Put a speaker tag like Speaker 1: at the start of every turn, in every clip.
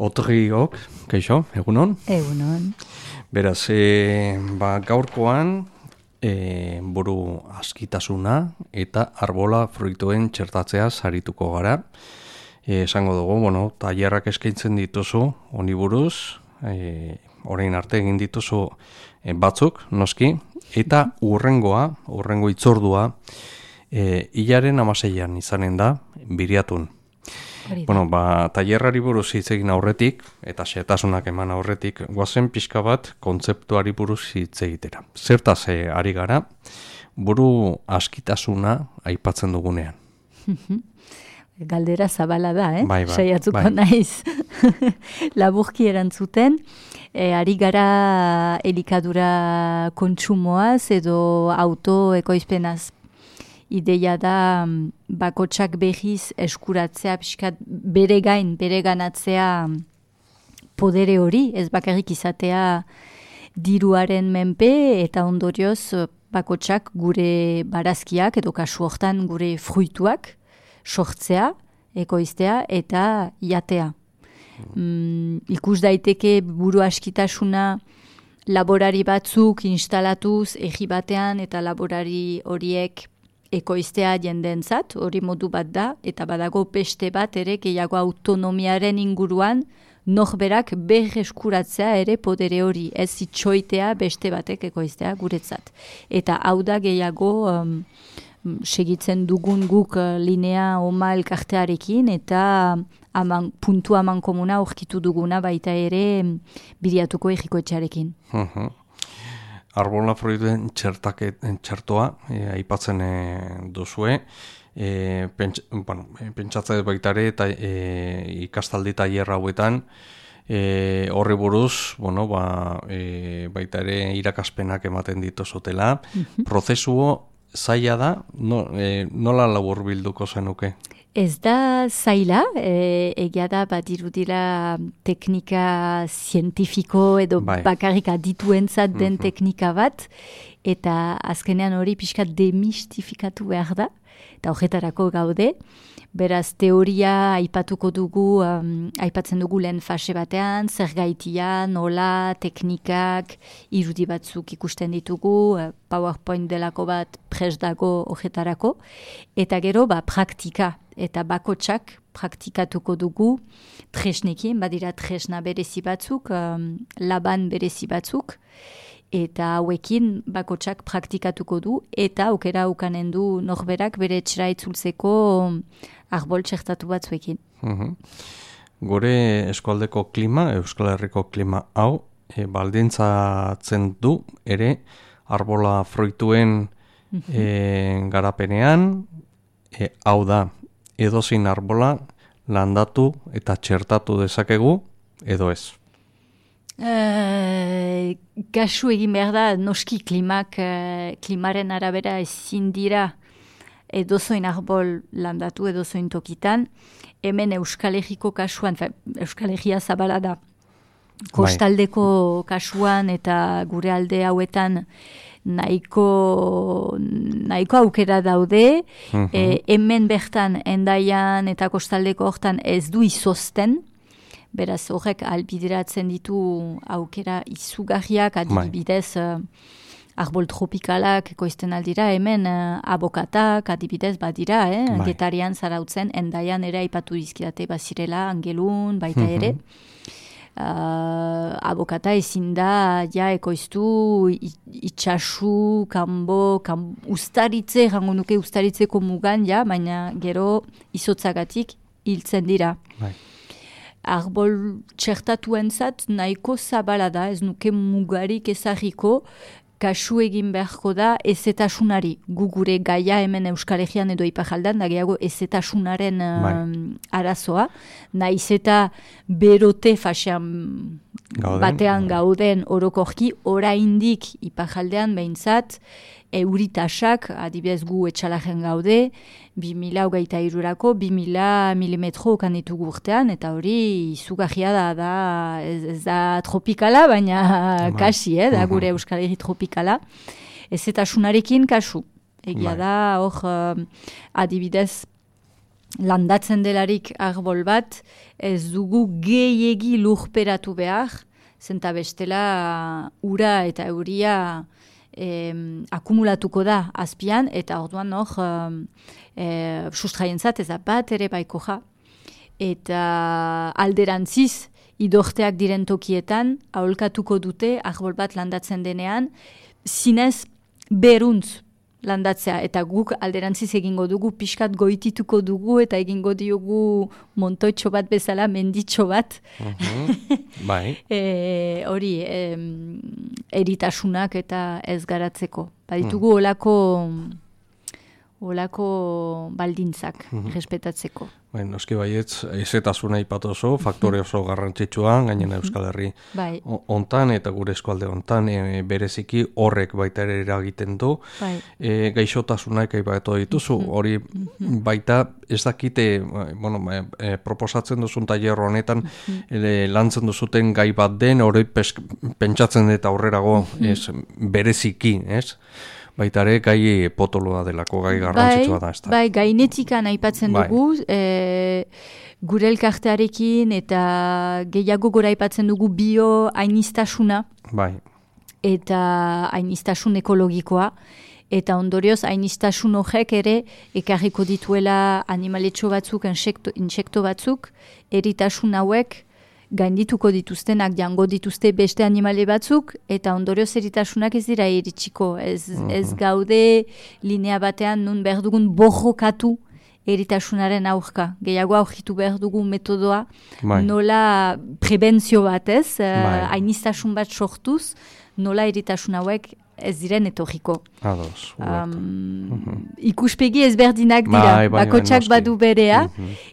Speaker 1: Otriok, kaixo, egunon?
Speaker 2: Egunon.
Speaker 1: Beraz, gaurkoan buru askitasuna eta arbola fruituen txertatzea sarituko gara. Esango dugu, tailerrak eskaintzen dituzu, honi buruz, orain arte egin dituzu batzuk, noski, eta urrengo itzordua, hilaren 16an izanen da, Biriatun. Tailerrari buruz hitz egin aurretik, eta xehetasunak eman aurretik, goazen pixka bat kontzeptuari buruz hitz egitera. Zertaz ari gara, buru askitasuna aipatzen dugunean.
Speaker 2: Galdera zabala da,
Speaker 1: Bai.
Speaker 2: Saiatuko naiz. Laburki erantzuten, ari gara elikadura kontsumoaz edo autoekoizpenaz. Ideia da bakotsak behiz eskuratzea, pixkat bere ganatzea podere hori, ez bakarrik izatea diruaren menpe eta ondorioz bakotsak gure barazkiak edo kasu hortan gure fruituak sortzea, ekoiztea eta jatea. Ikus daiteke buru askitasuna laborari batzuk instalatuz egi batean eta laborari horiek ekoiztea jendentzat, hori modu bat da, eta badago beste bat ere gehiago autonomiaren inguruan norberak berreskuratzea ere podere hori, ez itxoitea beste batek ekoiztea guretzat. Eta hau da gehiago segitzen dugun guk linea oma elkartearekin eta puntu aman komuna aurkitu duguna baita ere Biriatuko egikoetxearekin.
Speaker 1: Arbola fruituen txertoa aipatzen duzue, pentsatzea baitare eta ikastaldi tailer hauetan horri buruz, baita ere irakaspenak ematen dituzutela. Prozesuo zaila da, nola laburbilduko zenuke?
Speaker 2: Ez da zaila, egia da badirudila teknika zientifiko edo bakarrik adituentzat den teknika bat, eta azkenean hori pixkat demistifikatu behar da, eta horretarako gaude. Beraz, teoria aipatzen dugu lehen fase batean, zer gaitia, nola, teknikak, irudi batzuk ikusten ditugu, PowerPoint delako bat prest dago horretarako, eta gero praktika. Eta bakotsak praktikatuko dugu tresnekin, badira tresna berezi batzuk, laban berezi batzuk, eta hauekin bakotsak praktikatuko du, eta aukera ukanen du norberak bere etxera itzultzeko arbol txertatu batzuekin.
Speaker 1: Gure eskualdeko klima, Euskal Herriko klima hau, baldintzatzen du ere arbola fruituen garapenean, hau da, edozein arbola landatu eta txertatu dezakegu, edo ez?
Speaker 2: Kasu egin behar da, noski klimaren arabera ezin dira edozoin arbol landatu, edozoin tokitan. Hemen Euskal Herriko kasuan, Euskal Herria zabala da, kostaldeko kasuan eta gure alde hauetan nahiko aukera daude, hemen bertan Hendaian eta kostaldeko hortan ez du izozten, beraz horrek albideratzen ditu aukera izugarriak, adibidez arbol tropikalak ekoizten aldira, hemen abokatak adibidez badira, Getarian, Zarautzen, Hendaian ere aipatu dizkidate bazirela, Angelun, baita ere. Abokata ezin da ekoiztu itxasu, kanbo, ustaritze, jango nuke ustaritzeko mugan, baina gero izotzagatik hiltzen dira. Arbol txertatuentzat nahiko zabala da, ez nuke mugarik ezagiko, kasu egin beharko da ezetasunari. Gure gaia hemen Euskal Herrian edo Iparraldean da gehiago ezetasunaren arazoa. Naiz eta berote fasean batean gauden orokorki, oraindik Iparraldean behintzat, euritasak, adibidez gu etxalajen gaude, 2023-rako 2000 milimetro okan ditugu urtean, eta hori izugarria da, ez da tropikala, baina kasi, da gure Euskal Herri tropikala. Ez eta sunarekin kasu. Egia da, hor, adibidez, landatzen delarik arbol bat, ez dugu gehiegi lurperatu behar, zenta bestela ura eta euria akumulatuko da azpian, eta orduan hor sustraientzat ez da bat ere baiko ja. Eta alderantziz, idorteak diren tokietan, aholkatuko dute, arbol bat landatzen denean, zinez beruntz landatzea, eta guk alderantziz egingo dugu, pixkat goitituko dugu, eta egingo diogu montoitxo bat bezala, menditxo bat.
Speaker 1: Bai.
Speaker 2: Hori, eritasunak eta ez garatzeko. Baditugu olako baldintzak respetatzeko.
Speaker 1: Bai, noski baietz, ezetasuna ipatu oso, faktore oso garrantzitsua, gainena Euskal Herri hontan eta gure eskualde hontan, bereziki horrek baita ere eragiten du. Gaixotasunak aipatu dituzu, hori baita ez dakite, proposatzen duzun tailer honetan, lantzen duzuten gai bat den, hori pentsatzen eta aurrerago bereziki, ez? Baita ere, gai potoloa delako, gai garrantzitsua da, ez da?
Speaker 2: Bai, gainetikan aipatzen dugu, gure elkartearekin eta gehiago gora aipatzen dugu bio-ainiztasuna.
Speaker 1: Bai.
Speaker 2: Eta ainiztasun ekologikoa. Eta ondorioz, ainiztasun horrek ere ekarriko dituela animaletxo batzuk, insekto batzuk, eritasun hauek, gaindituko dituztenak, jango dituzte beste animale batzuk, eta ondorioz eritasunak ez dira iritsiko. Ez gaude linea batean nun behar dugun borrokatu eritasunaren aurka. Gehiago aurkitu behar dugu metodoa, nola prebentzio bat ez, ainiztasun bat sortuz, nola eritasun hauek ez diren etorriko.
Speaker 1: Ados.
Speaker 2: Ikuspegi ezberdinak dira, bakotsak badu berea,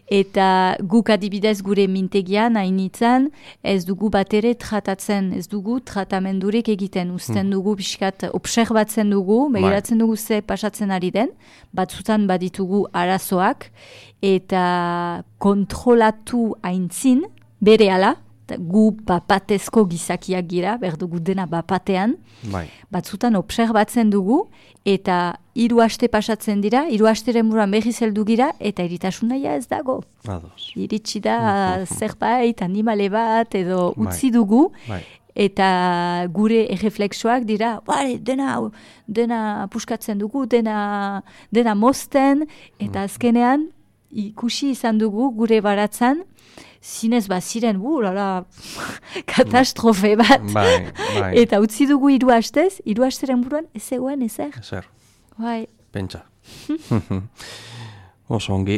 Speaker 2: eta guk adibidez gure mintegian, hainitzen, ez dugu batere tratatzen, ez dugu tratamendurik egiten, uzten dugu pixkat obserbatzen dugu, begiratzen dugu ze pasatzen ari den, batzutan baditugu arazoak, eta kontrolatu aintzin, berehala, gu bapatezko gizakiak gira, berdugu dena bapatean, batzutan obserbatzen dugu, eta 3 aste pasatzen dira, 3 asteren buruan berriz heldu gira, eta eritasuna ez dago. Iritsi da zerbait, animale bat, edo utzi dugu, eta gure erreflexoak dira, dena puskatzen dugu, dena mozten, eta azkenean, ikusi izan dugu gure baratzan, zinez baziren, katastrofe bat. Eta utzi dugu 3 astez, 3 asteren buruan, ez zegoen, ezer.
Speaker 1: Ezer.
Speaker 2: Bai.
Speaker 1: Pentsa. Oso ongi.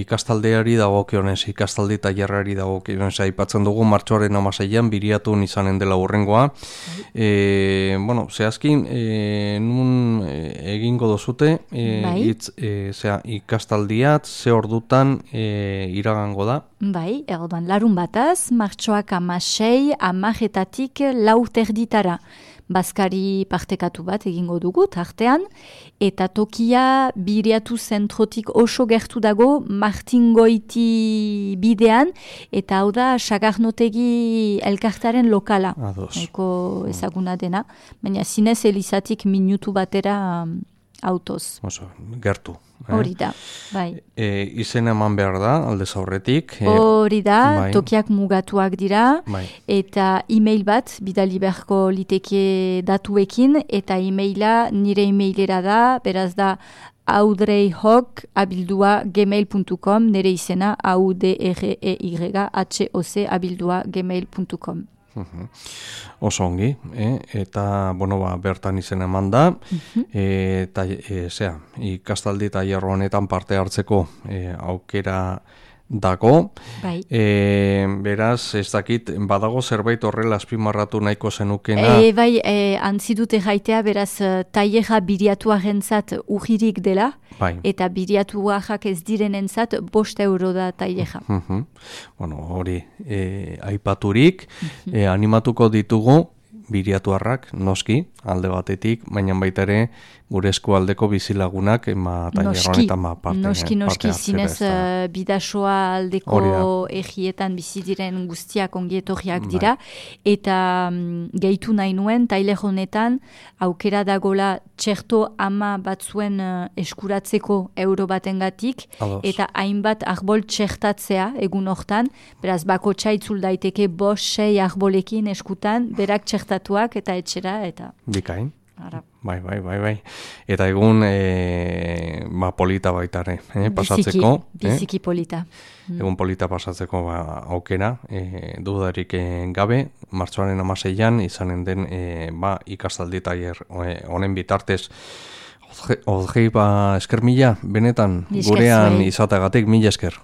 Speaker 1: Ikastaldeari dagokionez, ikastaldi tailerrari dagokionez, aipatzen dugu martxoaren 16an biriatun izanen dela hurrengoa. Zehazkin, nun egingo dozute, ikastaldiat, ze ordutan iragango da?
Speaker 2: Bai, erdoan larun bataz, martxoak 16, 10-etatik 4:00 Baskari partekatu bat egingo dugu, tartean, eta tokia biriatu zentrotik oso gertu dago, Martingoiti bidean, eta hau da Sagarnotegi elkartaren lokala. Eko ezaguna dena, baina zinez elizatik minutu batera autoz.
Speaker 1: Oso, gertu.
Speaker 2: Hori da, bai.
Speaker 1: Izen eman behar da, aldez aurretik.
Speaker 2: Hori da, tokiak mugatuak dira, eta e-mail bat, bidali beharko liteke datuekin, eta e-maila nire e-mailera da, beraz da audreyhoc@gmail.com, nire izena audreyhoc@gmail.com.
Speaker 1: Oso ongi, eta bertan izen eman da, eta ikastaldi tailer honetan parte hartzeko aukera dago. Beraz, ez dakit, badago zerbait horrela azpimarratu nahiko zenukena?
Speaker 2: Antzi dute jaitea, beraz, tailerra biriatuarentzat ujirik dela, eta biriatuak ez direnentzat 5 euro da tailerra.
Speaker 1: Hori, aipaturik, animatuko ditugu biriatuarrak, noski, alde batetik, baina baita ere gure eskualdeko bizilagunak tailer honetan
Speaker 2: noski zinez bidasoa aldeko egietan bizi diren guztiak ongietorriak dira, eta gehitu nahi nuen tailer honetan aukera dagola txerto ama batzuen eskuratzeko euro batengatik, eta hainbat arbol txertatzea egun hortan, beraz bako txaitzul daiteke 5-6 arbolekin eskutan, berak txertatuak eta etxera, eta...
Speaker 1: Bikain. Bai. Eta egun polita baitare, pasatzeko.
Speaker 2: Biziki polita.
Speaker 1: Egun polita pasatzeko aukera, dudarik gabe, martxoaren 16an izanen den ikastaldi tailer honen bitartez. Odgei esker mila, benetan, gurean izatagatik, mila esker.